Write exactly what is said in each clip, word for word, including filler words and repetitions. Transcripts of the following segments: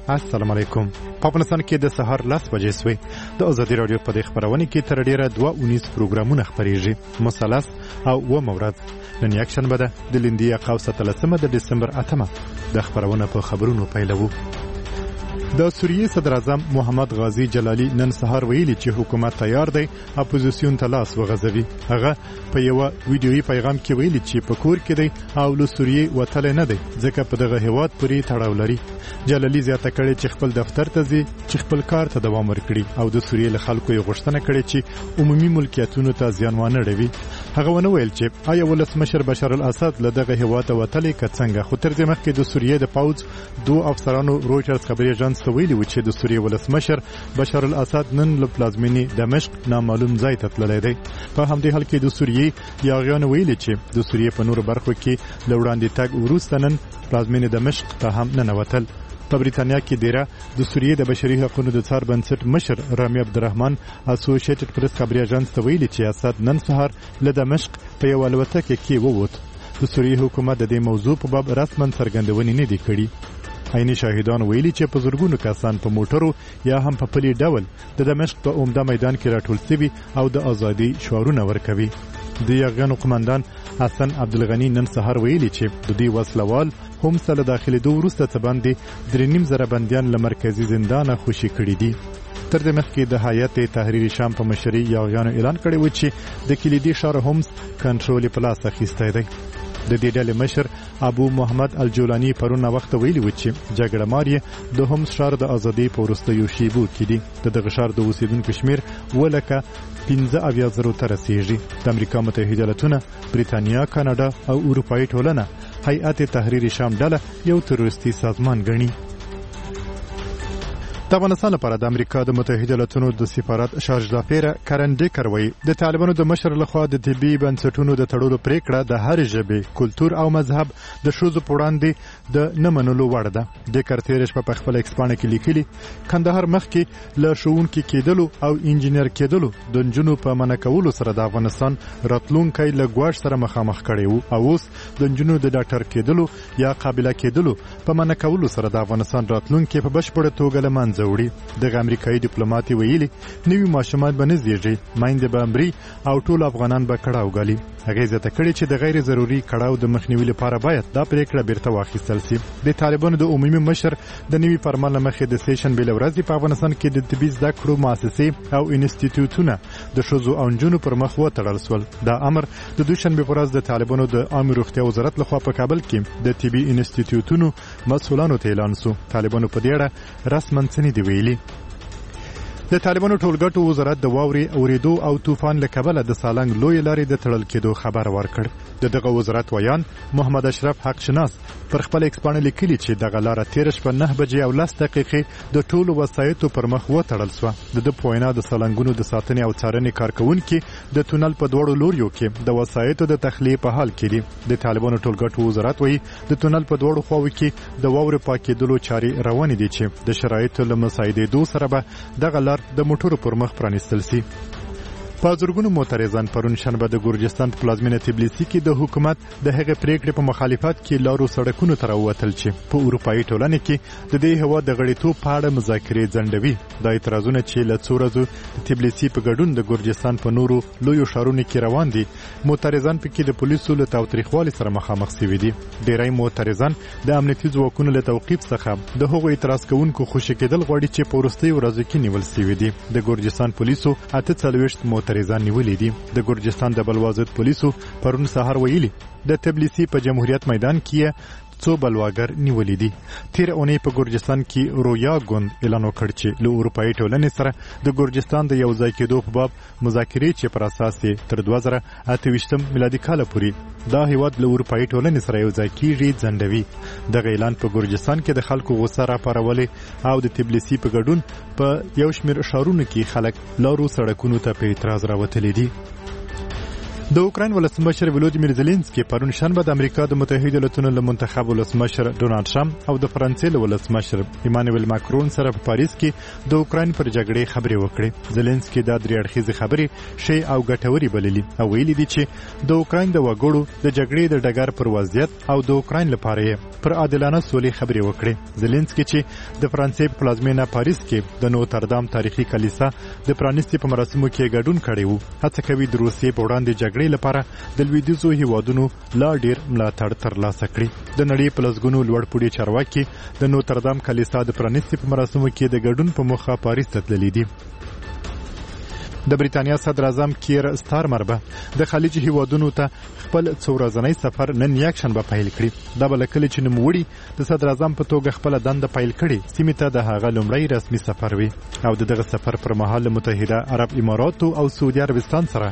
السلام علیکم. په افغانستان کې د سهار لس بجې سوې. د ازادي راډیو په دې خپرونه کې تر ډېره دوه اونیز پروګرامونه خپرېږي، مثلث او اوومه ورځ. نن یکشنبه ده، د لیندۍ قوس اتلسمه د ډسمبر اتمه. د خپرونه په خبرونو پیلوو. د سوریې صدراعظم محمد غازي جلالي نن سهار ویلي چې حکومت تیار دی اپوزیسیون ته لاس وغځوي. هغه په یوه ویډیويي پیغام کې ویلي چې په کور کې دی او له سوریې وتلی نه دی، ځکه په دغه هیواد پورې تړاو لري. جلالي زیاته کړې چې خپل دفتر ته ځي چې خپل کار ته دوام ورکړي او د سوریې له خلکو یې غوښتنه کړې چې عمومي ملکیتونو ته زیان وانه ړوي. هغه ونه ویل چې آیا ولسمشر بشار الاسد له دغه هیواده وتلی که څنګه، خو تر دې مخکې د سوریې د پوځ دوو افسرانو رویټرز خبري اژانس ته ویلي و چې د سوریې ولسمشر بشار الاسد نن له پلازمینې دمشق نامعلوم ځای ته تللی دی. په همدې حال کې د سوریې یاغیانو ویلي چې د سوریې په نورو برخو کې له وړاندې تګ وروسته نن پلازمینې دمشق ته هم ننوتل. په بریتانیا کې دیره د سوریې د بشري حقونو د څار بنسټ مشر رامي عبدالرحمن اسوشیټډ پرس خبري اژانس ته ویلي چې اسد نن سهار له دمشق په یوه الوتکه کې ووت. د سوریې حکومت د دې موضوع په باب رسما څرګندونې نه دي کړي. عیني شاهدان ویلي چې په زرګونو کسان په موټرو یا هم په پلي ډول د دمشق په عمده میدان کې راټول سوي او د ازادۍ شعارونه ورکوي. د یاغیانو قومندان حسن عبدالغني نن سهار ویلي چې د دوی وسلوال هم ته له داخلېدو وروسته څه باندې درې نیم زره بندیان له مرکزي زندانه خوشي کړي دي. تر دې مخکې د هیئت تحریر شام په مشرۍ یاغیانو اعلان کړی و چې د کلیدي ښار هومس کنټرول یې په لاس اخیستی دی. د دې ډلې مشر ابو محمد الجولاني پرون ناوخته ویلي و چې جګړه مار یې د هومس ښار د ازادۍ په وروستیو شیبو کې دي. د دغه ښار د اوسېدونکو شمېر اووه لکه پنځه اویا زرو ته رسېږي. د امریکا متحده ایالتونه، بریتانیا، کاناډا او اروپایي ټولنه هیئت تحریر شام ډله یو تروریستي سازمان ګڼي. د افغانستان لپاره د امریکا د متحده ایالتونو د سفارت شارژدافیره کرن ډیکر وایي د طالبانو د مشر لخوا د طبي بنسټونو د تړلو پرېکړه د هرې ژبې، کلتور او مذهب د ښځو په وړاندې د نه منلو وړ ده. ډیکر تېره شپه په خپله ایکسپاڼه کې لیکلي، کندهار مخکې له ښوونکي کېدلو او انجینر کېدلو د نجونو په منع کولو سره د افغانستان راتلونکی له ګواښ سره مخامخ کړی و او اوس د نجونو د ډاکټر کېدلو یا قابله کېدلو په منع کولو سره د افغانستان راتلونکی په بشپړه توګه له منځه وړي. دغه امریکایي ډیپلوماټ ویلي، نوي ماشومان به نه زیږي، میندې به مري او ټول افغانان به کړاو ګالي. هغې زیاته کړې چې د غیر ضروري کړاو د مخنیوي لپاره باید دا پرېکړه بیرته واخیستل سي. د طالبانو د عمومي مشر د نوي فرمان له مخې د سې شنبې له ورځې په افغانستان کې د طبي زده کړو مؤسسې او انستیتیوتونه د ښځو او نجونو پر مخ وتړل سول. دا امر د دوشنبې په ورځ د طالبانو د عامې روغتیا وزارت لخوا په کابل کې د طبي انستیتیوتونو مسؤلانو ته اعلان سو. طالبانو په دې اړه رسما څه نه دي ویلي. د طالبانو ټولګټو وزارت د واورې اورېدو او طوفان له کبله د سالنګ لویې لارې د تړل کېدو خبر ورکړ. د دغه وزارت ویاند محمد اشرف حق شناس پر خپل ایکسپاڼه لیکلي چې دغه لاره تېره شپه نهه بجې او لس دقیقې د ټولو وسایطو پر مخ وتړل سوه. د ده په وینا د سالنګونو د ساتنې او څارنې کارکوونکي د تونل په دواړو لوریو کې د وسایطو د تخلیې په حال کې دي. د طالبانو ټولګټو وزارت وایي د تونل په دواړو خواوو کې د واورې پاکېدلو چارې روانې دي چې د شرایطو له مساعدېدو سره به دغه لار د موټرو پر مخ پرانیستل سي. په زرګونو معترضان پرون شنبه د ګرجستان په پلازمینه تبلیسي کې د حکومت د هغې پرېکړې په مخالفت کې لارو سړکونو ته راووتل چې په اروپایي ټولنې کې د دې هیواد د غړیتوب په اړه مذاکرې ځنډوي. دا اعتراضونه چې له څو ورځو د تبلیسي په ګډون د ګرجستان په نورو لویو ښارونو کې روان دي، معترضان پکې د پولیسو له تاوتریخوالي سره مخامخ سوي دي. ډیری معترضان د امنیتي ځواکونو له توقیف څخه د هغو اعتراض کوونکو خوشي کېدل غواړي چې په وروستیو ورځو کې نیول سوي دي. د ګرجستان پولیسو اته څلوېښت معترضان نیولي دي. د ګرجستان د بلوا ضد پولیسو پرون سهار ویلي د تبلیسي په جمهوریت میدان کې څو بلواګر نیولي دي. تېره اونۍ په ګرجستان کې رویا ګوند اعلان وکړ چې له اروپایي ټولنې سره د ګرجستان د یو ځای کېدو په باب مذاکرې چې پر اساس یې تر دوه زره اته ویشتم میلادي کاله پورې دا هیواد له اروپایي ټولنې سره یو ځای کیږي ځنډوي. دغه اعلان په ګرجستان کې د خلکو غوسه راپارولې او د تبلیسي په ګډون په یو شمېر ښارونو کې خلک لارو سړکونو ته په اعتراض راوتلي دي. د اوکراین ولسمشر ولودیمیر زلنسکي پرون شنبه د امریکا د متحده ایالتونو له منتخب ولسمشر ډونالد ټرمپ او د فرانسې له ولسمشر ایمانویل ماکرون سره په پاریس کې د اوکراین پر جګړې خبرې وکړې. زلنسکي دا درې اړخیزې خبرې ښې او ګټورې بللي او ویلي دي چې د اوکراین د وګړو د جګړې د ډګر پر وضعیت او د اوکراین لپاره یې پر عادلانه سولې خبرې وکړې. زلنسکي چې د فرانسې په پلازمېنه پاریس کې د نوتردام تاریخي کلیسا د پرانیستې په مراسمو کې ګډون کړی و، هڅه کوي د روسیې په وړاندې جګړې لپاره د لویدیځو هیوادونو لا ډیر ملاتړ ترلاسه کړي. د نړۍ په لسګونو لوړپوړي چارواکي د نوتردام کلیسا د پرانیستې په مراسمو کې د ګډون په موخه پاریس ته تللي دي. د بریتانیا صدراعظم کیر ستارمر به د خلیج هیوادونو ته خپل څو ورځنی سفر نن یکشنبه پیل کړي. دا به له کله چې نوموړي د صدراعظم په توګه خپله دنده پیل کړې سیمې ته د هغه لومړی رسمي سفر وي او د دغه سفر پر مهال له متحده عرب اماراتو او سعودي عربستان سره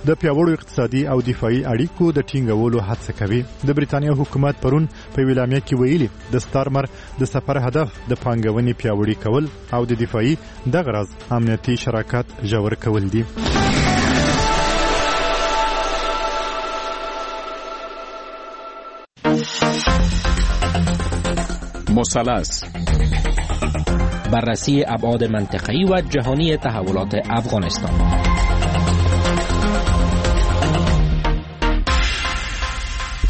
د پیاوړو اقتصادي او دفاعي اړیکو د ټینګولو هڅه کوي. د بریتانیا حکومت پرون په یوه اعلامیه کې ویلي، د ستارمر د سفر هدف د پانګونې پیاوړي کول او د دفاعي دغه راز امنیتي شراکت ژور کول دي. مثلث بررسی ابعاد منطقه‌ای و جهانی تحولات افغانستان.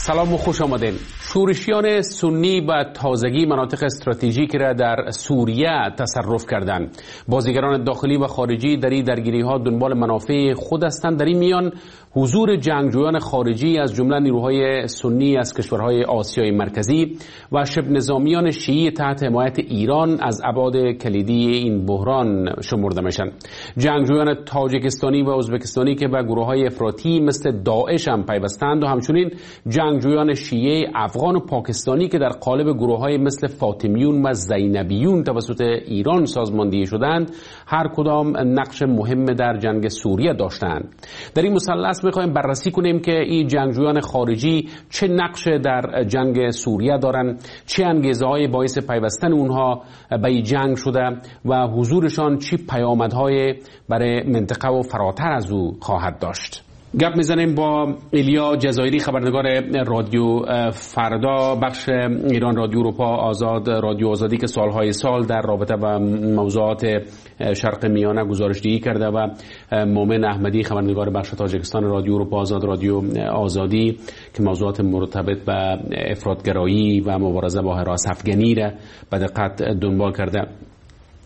سلام و خوش آمدین. شورشیان سنی به تازگی مناطق استراتژیک را در سوریه تصرف کردند. بازیگران داخلی و خارجی در این درگیری‌ها دنبال منافع خود هستند. در این میان حضور جنگجویان خارجی از جمله نیروهای سنی از کشورهای آسیای مرکزی و شبه نظامیان شیعی تحت حمایت ایران از ابعاد کلیدی این بحران شمرده میشن. جنگجویان تاجیکستانی و ازبکستانی که به گروه‌های افراطی مثل داعش هم پیوستند و همچنین جنگجویان شیعه افغان و پاکستانی که در قالب گروه‌های مثل فاطمیون و زینبیون توسط ایران سازماندهی شدند، هر کدام نقش مهم در جنگ سوریه داشتند. در این مثلث می‌خوایم بررسی کنیم که این جنگجویان خارجی چه نقش در جنگ سوریه دارند، چه انگیزه‌های باعث پیوستن اونها به این جنگ شده و حضورشان چه پیامدهای برای منطقه و فراتر از او خواهد داشت. گپ میزنیم با ایلیا جزایری، خبرنگار رادیو فردا، بخش ایران رادیو اروپا آزاد، رادیو آزادی که سالهای سال در رابطه با موضوعات شرق میانه گزارش دهی کرده، و مومن احمدی، خبرنگار بخش تاجیکستان رادیو اروپا آزاد، رادیو آزادی که موضوعات مرتبط به افراط‌گرایی و مبارزه با هراس افغانی را به دقت دنبال کرده.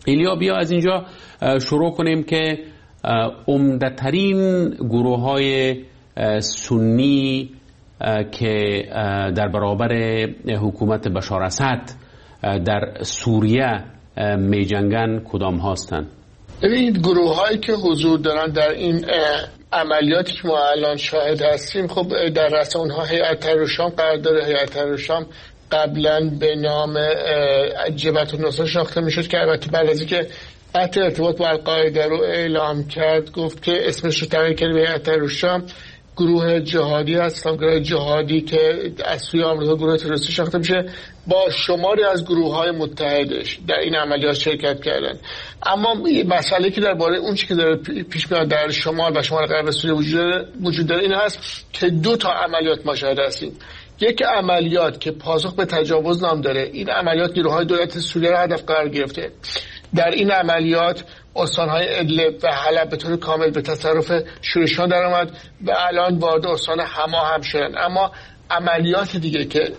ایلیا، بیا از اینجا شروع کنیم که عمده‌ترین گروه‌های سنی که در برابر حکومت بشار اسد در سوریه می‌جنگن کدام هستند؟ ببینید، گروه‌هایی که حضور دارن در این عملیاتی که ما الان شاهد هستیم، خب در رأس اونها هیئت تحریر الشام قرار داره. هیئت تحریر الشام قبلا به نام جبهة النصره شناخته میشد که البته بعد از اینکه قطع ارتباط با القاعده رو اعلام کرد گفت که اسمش رو تغییر کرد به هیئت تحریر الشام. گروه جهادی هست، گروه جهادی که از سوی آمریکا گروه تروریستی شناخته میشه، با شماری از گروه‌های متحدش در این عملیات شرکت کردن. اما مسئله که درباره اون چیزی که داره پیش میاد در شمال و شمال غرب سوریه وجود داره این هست که دو تا عملیات ما شاهد هستیم. یک عملیات که پاسخ به تجاوز نام داره، این عملیات نیروهای دولت سوریه را هدف قرار گرفته. در این عملیات استان‌های ادلب و حلب به طور کامل به تصرف شورشیان درآمد و الان وارد استان حما هم شدن. اما عملیات دیگه که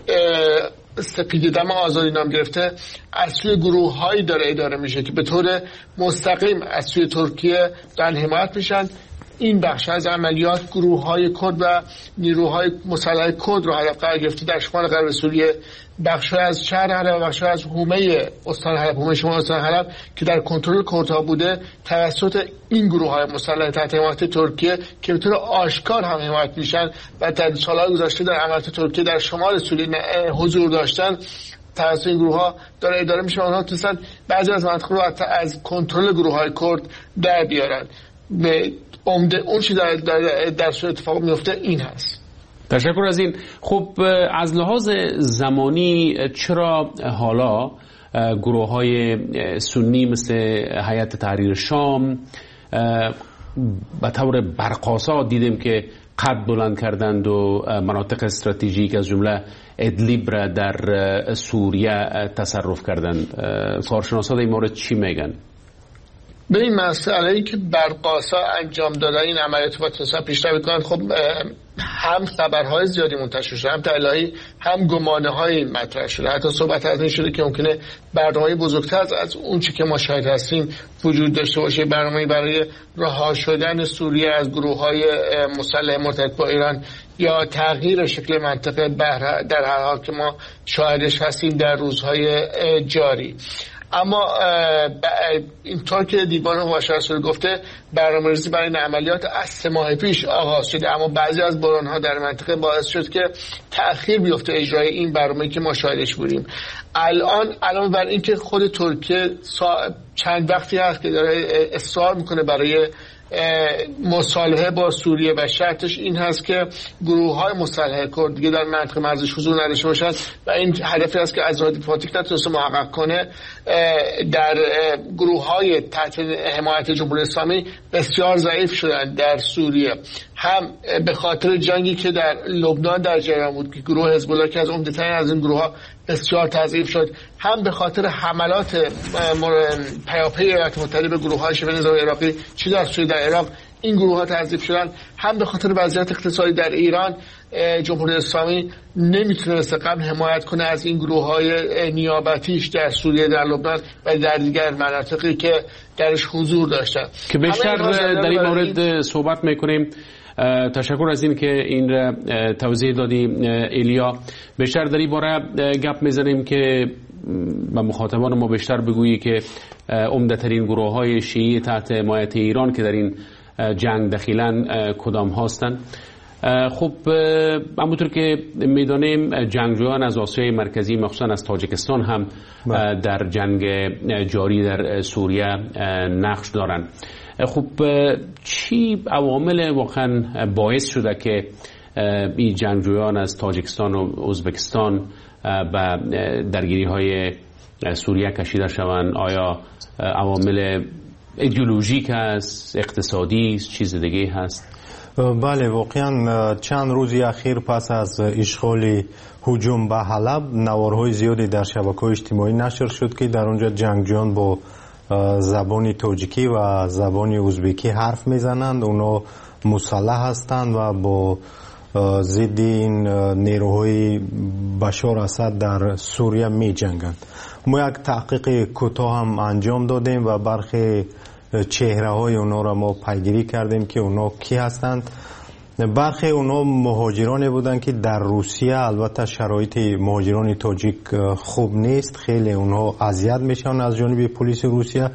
سپید دم آزادی نام گرفته از سوی گروه‌هایی داره اداره میشه که به طور مستقیم از سوی ترکیه دارن حمایت میشن. این بخش از عملیات گروه‌های کرد و نیروهای مسلح کرد رو هدف قرار گرفته در شمال غرب سوریه، بخش‌های از شهر حلب و بخش‌های از حومه استان حلب، حومه شمال استان حلب که در کنترل کردها بوده، توسط این گروه‌های مسلح تحت حمایت ترکیه که به طور آشکار هم حمایت میشن و در سال‌های گذشته در عملیات ترکیه در شمال سوریه حضور داشتن، توسط این گروه‌ها داره اداره میشه. آنها تونستن بعضی از مناطق رو از کنترل گروه‌های کرد در بیارن. به عمده اون چیزی در در در صورت اتفاق میفته این هست. تشکر از این. خب از لحاظ زمانی چرا حالا گروه های سنی مثل هیئت تحریر شام به طور برق‌آسا دیدیم که قد بلند کردند و مناطق استراتژیک از جمله ادلیب را در سوریه تصرف کردند. کارشناسان در این مورد چی میگن؟ به این مسئله ای که برق‌آسا انجام دادن این عملیات و تونستن پیشروی کنند، خب هم خبرهای زیادی منتشر شده، هم تحلیل‌هایی، هم گمانه‌هایی مطرح شده، حتی صحبت از این شده که ممکنه برنامه‌ای بزرگتر از, از اون چی که ما شاهد هستیم وجود داشته باشه، برنامه‌ای برای رها شدن سوریه از گروه‌های مسلح مرتبط با ایران یا تغییر شکل منطقه در هر حال که ما شاهدش هستیم در روزهای جاری. اما اینطور که دیوان حقوق گفته، برنامه‌ریزی برای این عملیات از سه ماه پیش آغاز شده، اما بعضی از بحران‌ها در منطقه باعث شد که تأخیر بیفته اجرای این برنامه‌ای که ما شاهدش بودیم. الان علاوه بر اینکه خود ترکیه چند وقتی هست که داره اصرار میکنه برای مصالحه با سوریه و شرطش این هست که گروه‌های مسلح کرد دیگه در منطقه مرزش حضور نداشته باشند و این هدفی است که از راه دیپلماتیک نتونسته محقق کنه، در گروه‌های تحت حمایت جمهوری اسلامی بسیار ضعیف شدند در سوریه، هم به خاطر جنگی که در لبنان در جریان بود که گروه حزب الله که از عمده‌ترین از این گروه‌ها بسیار تضعیف شد، هم به خاطر حملات پیاپی ایالات متحده به گروه‌های شبه نظامی عراقی چه در سوریه در عراق این گروه‌ها تضعیف شدن، هم به خاطر وضعیت اقتصادی در ایران جمهوری اسلامی نمیتونه مثل قبل حمایت کنه از این گروه‌های نیابتیش در سوریه، در لبنان و در دیگر مناطقی که درش حضور داشتن که بیشتر در این مورد صحبت میکنیم. تشکر از این که این را توضیح دادی ایلیا. بیشتر در این باره گپ میزنیم که به مخاطبان ما بیشتر بگویی که عمده ترین گروه های شیعی تحت حمایت ایران که در این جنگ دخیلن کدام هستند. خب همونطور که میدانیم جنگجویان از آسیای مرکزی مخصوصا از تاجیکستان هم در جنگ جاری در سوریه نقش دارند. خب چی عوامل واقعا باعث شده که این جنگجویان از تاجیکستان و ازبکستان به درگیری های سوریه کشیده شوند؟ آیا عوامل ایدئولوژیک است، اقتصادی است، چیز دیگه هست؟ بله، واقعا چند روزی اخیر پس از اشغال هجوم به حلب نوارهای زیادی در شبکه‌های اجتماعی نشر شد که در اونجا جنگجویان با زبان تاجیکی و زبان ازبکی حرف میزنند، اونا مسلح هستند و با ضد این نیروهای بشار اسد در سوریه می جنگند. ما یک تحقیق کوتاه هم انجام دادیم و برخی چهره های اونا را ما پیگیری کردیم که اونا کی هستند. برخی اونا مهاجرانی بودند که در روسیه البته شرایط مهاجران تاجیک خوب نیست، خیلی اونها اذیت میشن از جانب پلیس روسیه.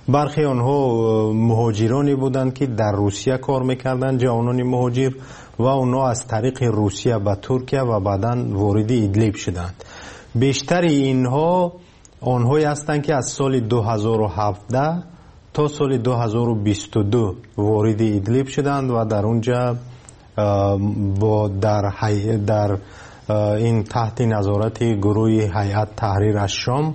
برخی آنها مهاجرانی بودند که در روسیه کار میکردند، جوانان مهاجر، و اونها از طریق روسیه به ترکیه و بعداً وارد ادلب شدند. بیشتر اینها آنهایی هستند که از سال دو هزار و هفده تا سال دو هزار و بیست و دو وارد ادلب شدند و در اونجا با در, حی... در این تحت نظارت گروه هیئت تحریر الشام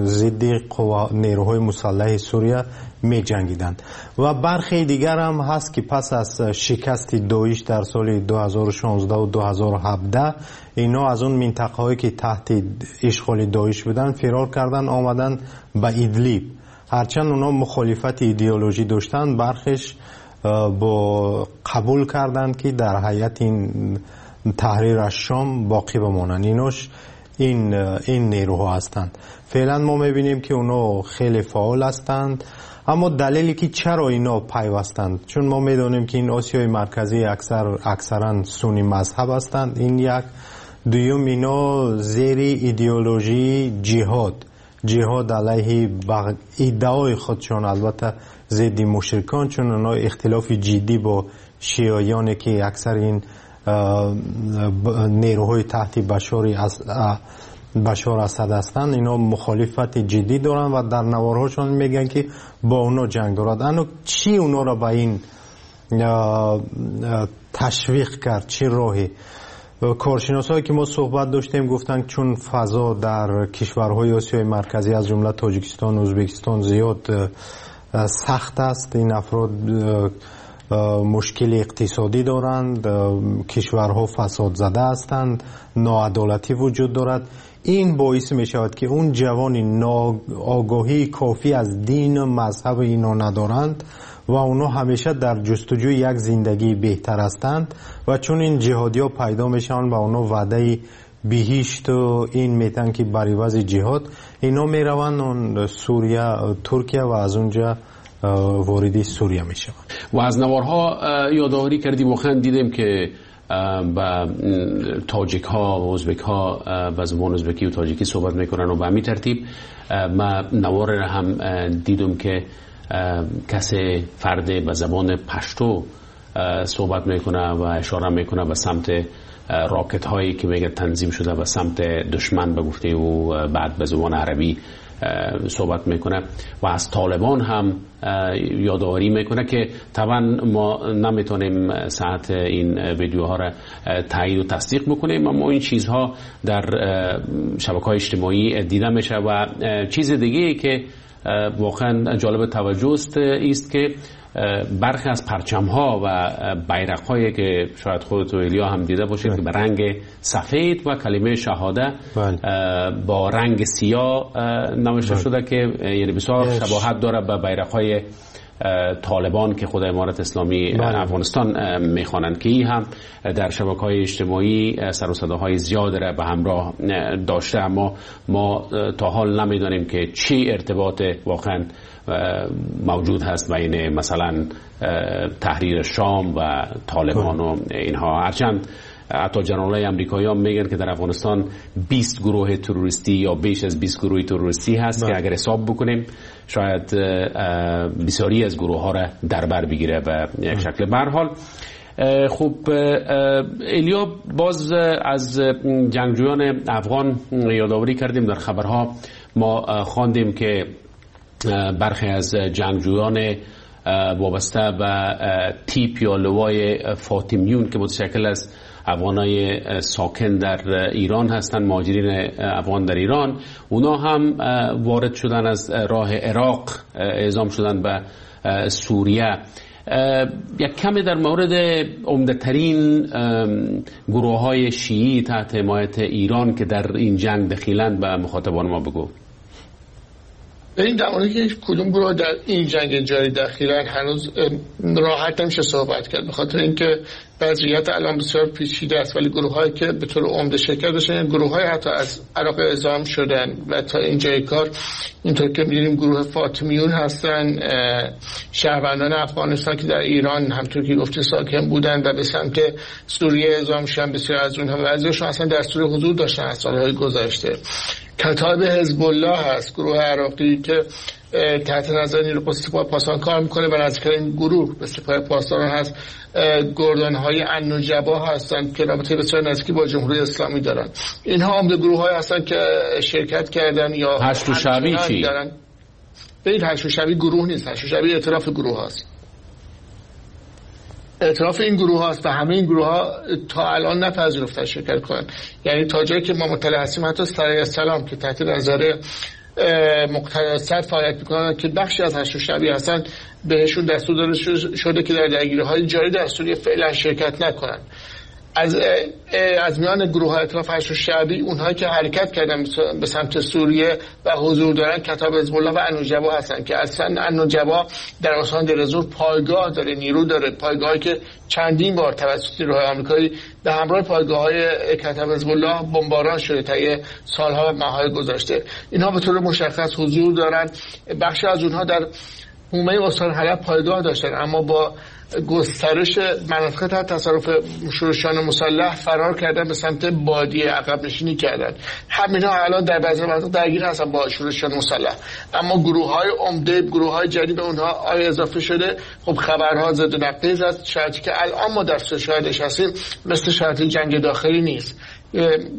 ضد قوا... نیروهای مسلح سوریه می جنگیدند. و برخی دیگر هم هست که پس از شکست داعش در سال دو هزار و شانزده و دو هزار و هفده اینا از اون منطقه هایی که تحت اشغال داعش بودن فرار کردن، آمدن به ادلب. هرچند اونا مخالفت ایدئولوژی داشتن، برخش با قبول کردند که در هیئت این تحریر الشام باقی بمانند. ایناش این این نیروها هستند. فعلا ما میبینیم که اونا خیلی فعال هستند، اما دلیلی که چرا اینا پیوستند، چون ما میدانیم که این آسیای مرکزی اکثر اکثرا سنی مذهب هستند، این یک. دوم، اینا زیر ایدئولوژی جهاد، جهاد علیه بغ... ادعای خودشون البته ضد مشرکان، چون اونا اختلاف جدی با شیعیان که اکثر این نیروهای تحت بشار از بشار اسد هستند، اینا مخالفت جدی دارن و در نوارهاشون میگن که با اونا جنگ دارد. اما چی اونا را به این تشویق کرد؟ چی راهی؟ کارشناسایی که ما صحبت داشتیم گفتن چون فضا در کشورهای آسیای مرکزی از جمله تاجیکستان و ازبکستان زیاد سخت است. این افراد مشکل اقتصادی دارند، کشورها فساد زده هستند، ناعدالتی وجود دارد. این باعث می شود که اون جوانی آگاهی کافی از دین و مذهب اینا ندارند و اونا همیشه در جستجوی یک زندگی بهتر هستند و چون این جهادی ها پیدا میشن و اونا وعده بهشت و این میتن که بر عوض جهاد اینا میروند سوریه، ترکیه و از اونجا وارد سوریه میشوند. و از نوارها یادآوری کردی، واقعا دیدیم که با تاجیک ها و ازبک ها به زبان ازبکی و تاجیکی صحبت میکنن و به همین ترتیب ما نوار را هم دیدم که کسی فرد به زبان پشتو صحبت میکنه و اشاره میکنه به سمت راکت هایی که میگه تنظیم شده به سمت دشمن به گفته او، بعد به زبان عربی صحبت میکنه و از طالبان هم یادآوری میکنه که طبعا ما نمیتونیم ساعت این ویدیوها را تایید و تصدیق بکنیم، اما این چیزها در شبکه‌های اجتماعی دیده میشه. و چیز دیگه که واقعا جالب توجه است است که برخی از پرچم ها و بیرق هایی که شاید خودت و ایلیا هم دیده باشید که به رنگ سفید و کلمه شهاده با رنگ سیاه نوشته شده که یعنی بسیار شباهت داره به بیرق های طالبان که خود امارت اسلامی افغانستان میخوانند، که این هم در شبکه‌های اجتماعی سر و صداهای زیاد را به همراه داشته، اما ما تا حال نمیدانیم که چی ارتباط واقعا موجود هست بین مثلا تحریر شام و طالبان و اینها. هرچند حتی جنرال‌های امریکایی هم میگن که در افغانستان بیست گروه تروریستی یا بیش از بیست گروه تروریستی هست که اگر حساب بکنیم شاید بسیاری از گروه ها را در بر بگیره به یک شکل. به هر حال خب ایلیا، باز از جنگجویان افغان یادآوری کردیم، در خبرها ما خواندیم که برخی از جنگجویان وابسته به تیپ یا لوای فاطمیون که متشکل از افغانای ساکن در ایران هستند، مهاجرین افغان در ایران، اونا هم وارد شدن از راه عراق، اعزام شدن به سوریه. یک کمی در مورد عمده‌ترین گروه های شیعی تحت حمایت ایران که در این جنگ دخیلند به مخاطبان ما بگو. این در مورد که کدوم گروه در این جنگ جاری دخیلن هنوز راحت نمیشه صحبت کرد، به خاطر اینکه وضعیت الان بسیار پیچیده است، ولی گروه‌هایی که به طور عمده شرکت داشتن گروه‌های حتی از عراق اعزام شدن و تا اینجای کار اینطور که می‌دونیم گروه فاطمیون هستن، شهروندان افغانستان که در ایران همطور که گفته ساکن بودن و به سمت سوریه اعزام شدن، بسیار از اونها بعضیشون اصلا در سوریه حضور داشتن از سال‌های گذشته. کتائب حزب الله هست، گروه عراقی که تحت نظر نیروی قدس سپاه پاسداران کار میکنه و نزدیکترین گروه به سپاه پاسداران هست. گردانهای النجبا هستند که رابطه بسیار نزدیکی با جمهوری اسلامی دارن. اینها عمده گروه های هستند که شرکت کردن یا هشت شعبی چی؟ دارن. این هشت شعبی گروه نیست، هشت شعبی ائتلاف گروه هاست. اعتراف این گروه هاست و همه این گروه ها تا الان نپذیرفتن شرکت کنن. یعنی تا جایی که ما مطلع هستیم حتی سرای سلام که تحت نظر مقتدی صدر فعالیت میکنن که بخشی از هشت شعبی هستن، بهشون دستور داده شده که در درگیری‌های جاری در سوریه فعلا شرکت نکنن. از از میان گروه های ائتلاف هشت شعبی اونهایی که حرکت کردن به سمت سوریه و حضور دارن کتاب حزب الله و النجبا هستن که اصلا النجبا در استان دیرزور پایگاه داره، نیرو داره، پایگاهی که چندین بار توسط نیروهای آمریکایی به همراه پایگاه‌های کتاب حزب الله بمباران شده طی سالها و ماه‌های گذشته. اینها به طور مشخص حضور دارن. بخشی از اونها در حومه استان حلب پایگاه داشتن، اما با گسترش مناطق تحت تصرف شورشیان مسلح فرار کردن به سمت بادیه، عقب نشینی کردن. همینا الان در بعضی مناطق درگیر هستن با شورشیان مسلح، اما گروه‌های عمده، گروه‌های جدید به اونها آیا اضافه شده. خب خبرها زد و نقیض است. شرطی که الان ما در شاهدش هستیم مثل شرط جنگ داخلی نیست.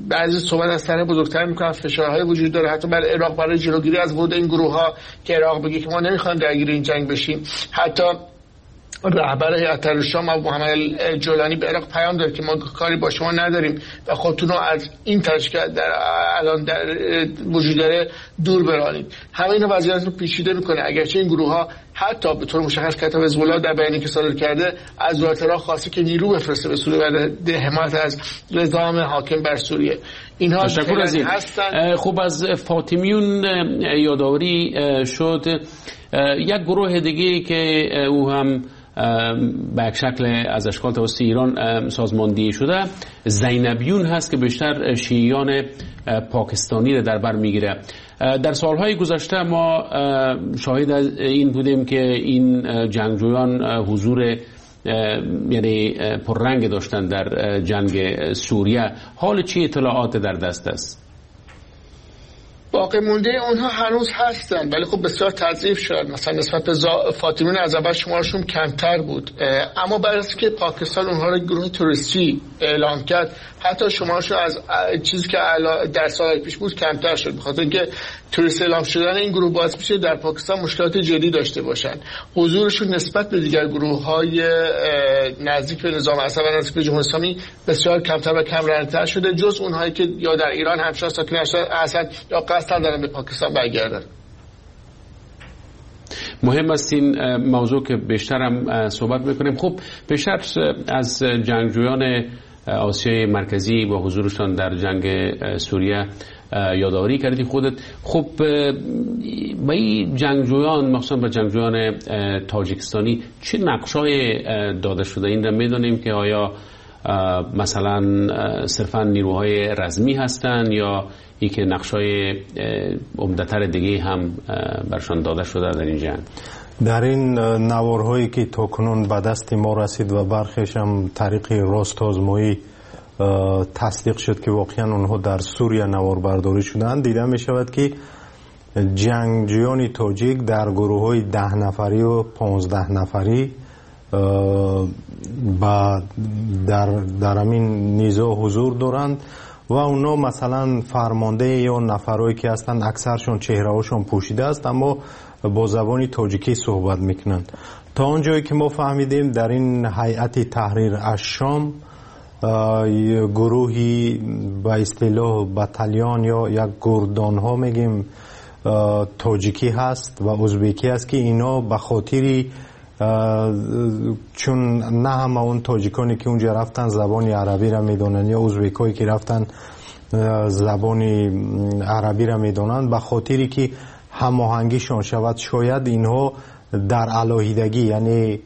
بعضی صحبت از طرح بزرگتر میکنن، فشارهای وجود داره حتی بر عراق برای جلوگیری از ورود این گروه‌ها که عراق بگه که ما نمیخوایم درگیر این جنگ بشیم. حتی رهبر هیئت تحریر شام محمد جولانی به عراق پیام داد که ما کاری با شما نداریم و خودتون رو از این تشکیل در الان در وجود داره دور برانید. همه اینا وضعیت رو پیچیده میکنه. اگرچه این گروه ها حتی به طور مشخص کتاب حزب الله در بیانیه‌ای که صادر کرده از دولت عراق خواسته که نیرو بفرسته به سوریه برای حمایت از نظام حاکم بر سوریه. اینها تشکر از این هستن. خب از فاطمیون یادآوری شد. یک گروه دیگه که او هم به یک شکل از اشکال توسط ایران سازماندهی شده، زینبیون هست که بیشتر شیعیان پاکستانی را در بر میگیره. در سالهای گذشته ما شاهد این بودیم که این جنگجویان حضور یعنی پررنگ داشتن در جنگ سوریه. حال چی اطلاعات در دست است؟ باقی مونده اونها هنوز هستن، ولی خب بسیار تضعیف شد. مثلا نسبت به فاطمیون از اول شمارشون کمتر بود، اما بعد از که پاکستان اونها رو گروه تروریستی اعلام کرد، حتی شمارشون از چیزی که در سال پیش بود کمتر شد، بخاطر اینکه تروریست اعلام شدن این گروه باعث میشه در پاکستان مشکلات جدی داشته باشن. حضورشون نسبت به دیگر گروه‌های نزدیک به نظام اسد و نزدیک به جمهوری اسلامی بسیار کمتر و کم رنگ‌تر شده، جز اونهایی که یا در ایران همچنان ساکن هستند یا قصد دارن به پاکستان برگردن. مهم است این موضوع که بیشتر هم صحبت میکنیم. خب بیشتر از جنگجویان آسیای مرکزی با حضورشان در جنگ سوریه یادآوری کردی خودت. خب با این جنگجویان، مخصوصا با جنگجویان تاجیکستانی، چه نقشای داده شده؟ این را میدونیم که آیا مثلا صرفا نیروهای رزمی هستند یا یکی نقشای عمده‌تر دیگه هم برشان داده شده در این جنگ؟ در این نوارهایی که تاکنون به دست ما رسید و برخیش هم طریق راست آزمایی تصدیق شد که واقعا اونها در سوریه نوار برداری شدند، دیده می شود که جنگجویان تاجیک در گروه های ده نفری و پانزده نفری با در در همین نزاع حضور دارند و اونا مثلا فرمانده یا نفرهایی که هستند اکثرشون چهره‌هاشون پوشیده است، اما با زبان تاجیکی صحبت میکنند. تا آنجایی که ما فهمیدیم در این هیئت تحریر الشام گروهی به اصطلاح بتالیان یا یک گردان ها میگیم تاجیکی هست و ازبکی هست که اینا به خاطر چون نه همه اون تاجیکانی که اونجا رفتن زبان عربی را میدونن یا ازبکایی که رفتن زبان عربی را میدونن، به خاطری که هماهنگیشان شود شاید اینها در علاهیدگی، یعنی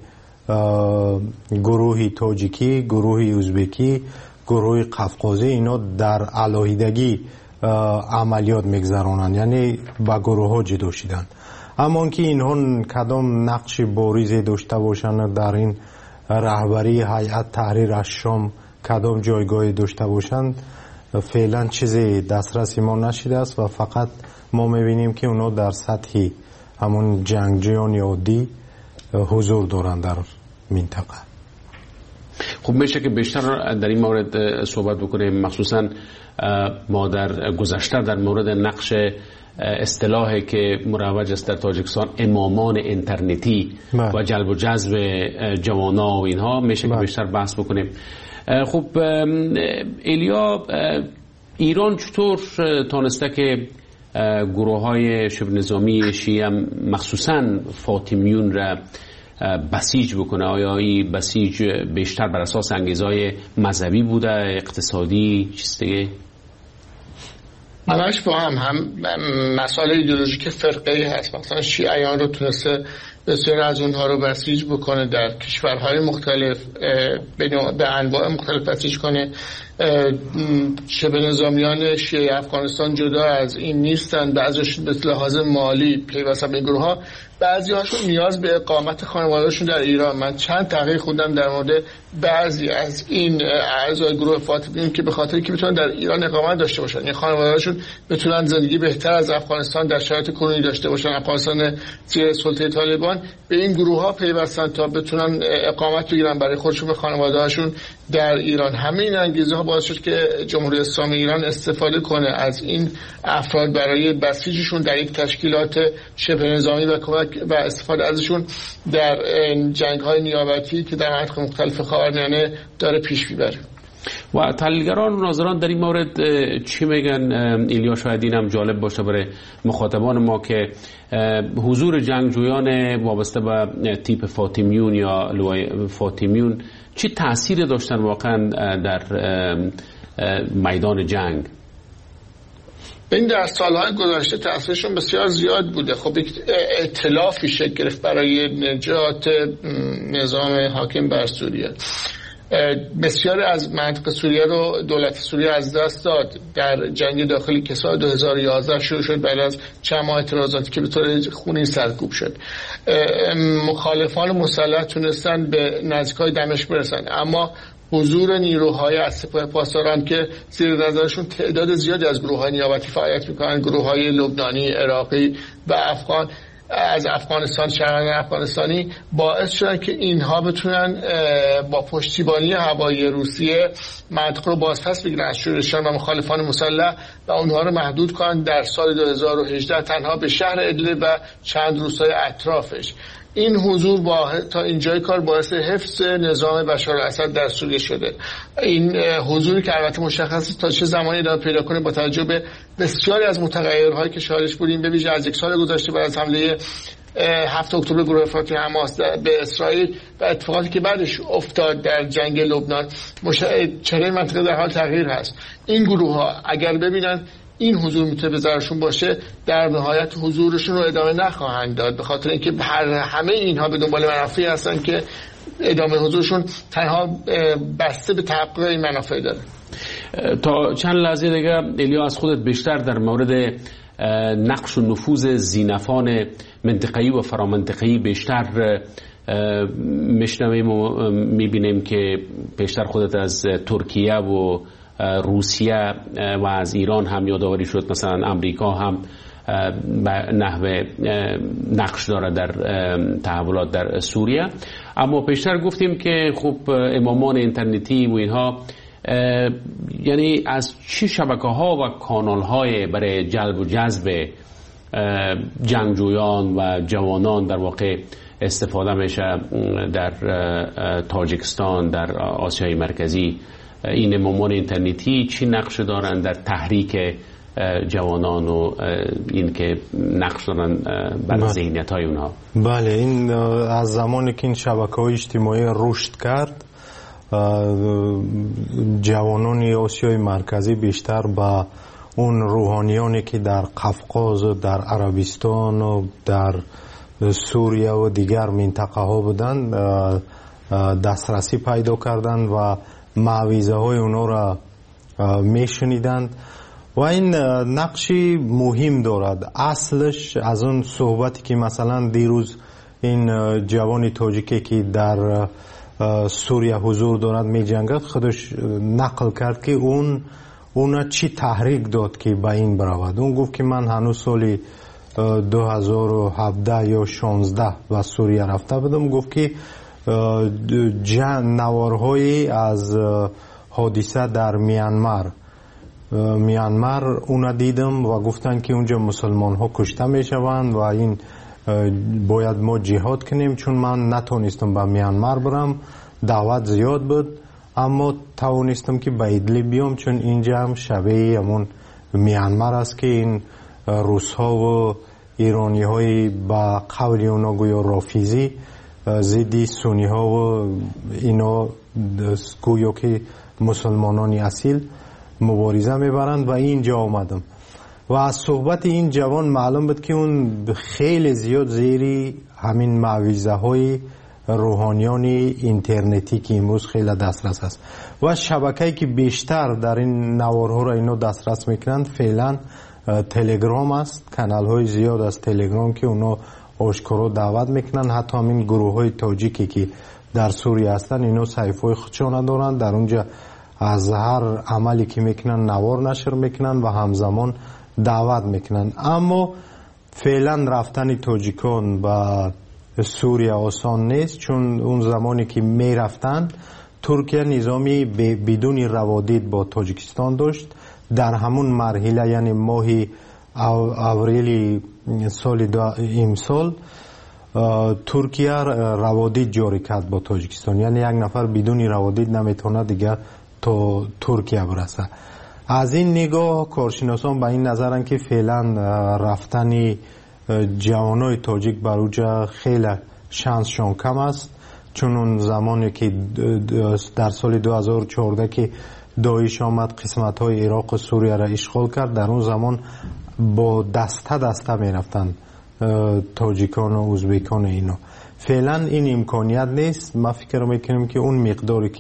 گروهی تاجیکی، گروهی ازبکی، گروه قفقازی، اینا در علاهیدگی عملیات میگذرانند، یعنی با گروه ها جدا شدند. اما اینکه اینها کدام نقش بارزی داشته باشند در این رهبری هیئت تحریر الشام، کدام جایگاهی داشته باشند، فعلا چیزی دسترس ما نشده است و فقط ما میبینیم که اونا در سطح همون جنگجویان عادی حضور دارند در منطقه. خب میشه که بیشتر در این مورد صحبت بکنیم، مخصوصا ما در گذشته در مورد نقش اصطلاحی که مروج است در تاجیکستان، امامان اینترنتی بله. و جلب و جذب جوانا و اینها، میشه بله. که بیشتر بحث بکنیم. خب ایلیا، ایران چطور تانسته که گروه های شبه نظامی شیعه مخصوصا فاطمیون را بسیج بکنه؟ آیا این بسیج بیشتر بر اساس انگیزهای مذهبی بوده، اقتصادی، چیز دیگه؟ همش با هم هم مسائل ایدئولوژیک فرقه‌ای هست. مثلا شیعیان رو تونسته بسیار از اونها رو بسیج بکنه در کشورهای مختلف، به انواع مختلف بسیج کنه. شبه نظامیان شیعه افغانستان جدا از این نیستن، بعضیشون به لحاظ مالی پیوستن به این گروه ها، بعضی هاشون نیاز به اقامت خانواده‌شون در ایران. من چند تحقیق خوندم در مورد بعضی از این اعضای گروه فاطمیون که به خاطر که بتونن در ایران اقامت داشته باشن، یعنی خانواده‌شون بتونن زندگی بهتر از افغانستان در شرایط کنونی داشته باشن، افغانستان زیر سلطه طالبان، به این گروه ها پیوستن تا بتونن اقامت بگیرن برای خودشون و خانواده‌هاشون در ایران. همه این انگیزه ها باعث شد که جمهوری اسلامی ایران استفاده کنه از این افراد برای بسیجشون در یک تشکیلات شبه نظامی و کمک و استفاده ازشون در جنگ‌های نیابتی که در مناطق مختلف خاورمیانه داره پیش میبره. و تحلیلگران و ناظران در این مورد چی میگن؟ ایلیا شاید اینم جالب باشه برای مخاطبان ما که حضور جنگجویان وابسته به تیپ فاطمیون یا لوای فاطمیون چه تأثیر داشتن واقعا در میدان جنگ؟ این در سالهای گذشته تأثیرشون بسیار زیاد بوده. خب یک ائتلافی شکل گرفت برای نجات نظام حاکم بر سوریه. بسیاری از منطقه سوریه رو دولت سوریه از دست داد در جنگ داخلی که سال دو هزار و یازده شروع شد، بعد از چند ماه اعتراضاتی که به طور خونی سرکوب شد. مخالفان مسلح تونستن به نزدیکای دمشق برسن، اما حضور نیروهای از سپاه پاسداران که زیر نظرشون تعداد زیادی از گروه‌های نیابتی فعالیت می‌کنن، گروه‌های لبنانی، عراقی و افغان از افغانستان، شهروندان افغانستانی، باعث شدن که اینها بتونن با پشتیبانی هوایی روسیه منطقه رو بازپس بگیرن از شورشیان و مخالفان مسلح و اونها رو محدود کنن در سال دو هزار و هجده تنها به شهر ادلب و چند روستای اطرافش. این حضور با تا اینجای کار باعث حفظ نظام بشار الاسد در سوریه شده. این حضوری که البته مشخص تا چه زمانی ادامه پیدا کنه با توجه به بسیاری از متغیرهایی که شاهدش بودیم، به ویژه از یک سال گذشته بعد از حمله هفت اکتبر گروه افراطی حماس به اسرائیل و اتفاقاتی که بعدش افتاد در جنگ لبنان، مش... چهره منطقه در حال تغییر هست. این گروه‌ها اگر ببینن این حضور میتونه به ضررشون باشه، در نهایت حضورشون رو ادامه نخواهند داد، به خاطر اینکه هر همه اینها به دنبال منافعی هستن که ادامه حضورشون تنها بسته به تحقق این منافع داره. تا چند لحظه دیگه ایلیا از خودت بیشتر در مورد نقش و نفوذ ذینفعان منطقه‌ای و فرامنطقه‌ای بیشتر میشنویم و میبینیم که بیشتر خودت از ترکیه و روسیه و از ایران هم یادآوری شد، مثلا امریکا هم به نحو نقش داره در تحولات در سوریه. اما پیشتر گفتیم که خب امامان اینترنتی و اینها، یعنی از چه شبکه ها و کانال های برای جلب و جذب جنگجویان و جوانان در واقع استفاده میشه در تاجیکستان، در آسیای مرکزی؟ این امامان اینترنتی چی نقش دارن در تحریک جوانان و این که نقش دارن بر ذهنیت های اونها؟ بله، این از زمانی که این شبکه‌های اجتماعی رشد کرد، جوانان آسیای مرکزی بیشتر با اون روحانیانی که در قفقاز و در عربستان و در سوریه و دیگر منطقه ها بودن دسترسی پیدا کردن و معویزه های اونا را میشنیدند و این نقشی مهم دارد. اصلش از اون صحبتی که مثلا دیروز این جوان تاجیکی که در سوریه حضور دارد می جنگد خودش نقل کرد که اون اونا چی تحریک داد که به این برود. اون گفت که من هنوز سال دو هزار و هفده یا شانزده به سوریه رفته بودم. گفت که نوارهایی از حادثه در میانمار میانمار اونا دیدم و گفتن که اونجا مسلمان ها کشته میشوند و این باید ما جهاد کنیم، چون من نتونستم به میانمار برم، دعوت زیاد بود، اما توانستم که به ادلب بیام، چون اینجا هم شبیه همون میانمار است که این روس ها و ایرانی های با قول اونا گویا رافیزی ضد سنی ها و اینا گویا که مسلمانان اصیل مبارزه میبرند و اینجا آمدم. و از صحبت این جوان معلوم بود که اون خیلی زیاد زیری همین معویزه های روحانیان اینترنتی که امروز خیلی دسترس است و شبکه‌ای که بیشتر در این نوارها را اینا دسترس میکنند فعلا تلگرام است. کانال های زیاد از تلگرام که اونا آشکارا دعوت میکنن، حتی همین گروه های تاجیکی که در سوریه هستن اینا صحیفه خودشون دارن، در اونجا از هر عملی که میکنن نوار نشر میکنن و همزمان دعوت میکنن. اما فعلا رفتن تاجیکان به سوریه آسان نیست، چون اون زمانی که میرفتن ترکیه نظامی بدون روادید با تاجیکستان داشت. در همون مرحله، یعنی ماه اوریل سال امسال، ترکیه روادید جاری کرد با تاجیکستان، یعنی یک نفر بدون روادید نمیتونه دیگه تا ترکیه برسه. از این نگاه کارشناسان به این نظرن که فعلا رفتن جوانای تاجیک بر اونجا خیلی شانسشان کم است، چون اون زمانی که در سال دو هزار و چهارده که داعش آمد قسمت های عراق و سوریه را اشغال کرد، در اون زمان با دسته دسته می رفتن تاجیکان و ازبکان اینا. فعلا این امکانیت نیست. ما فکر میکنیم که اون مقداری که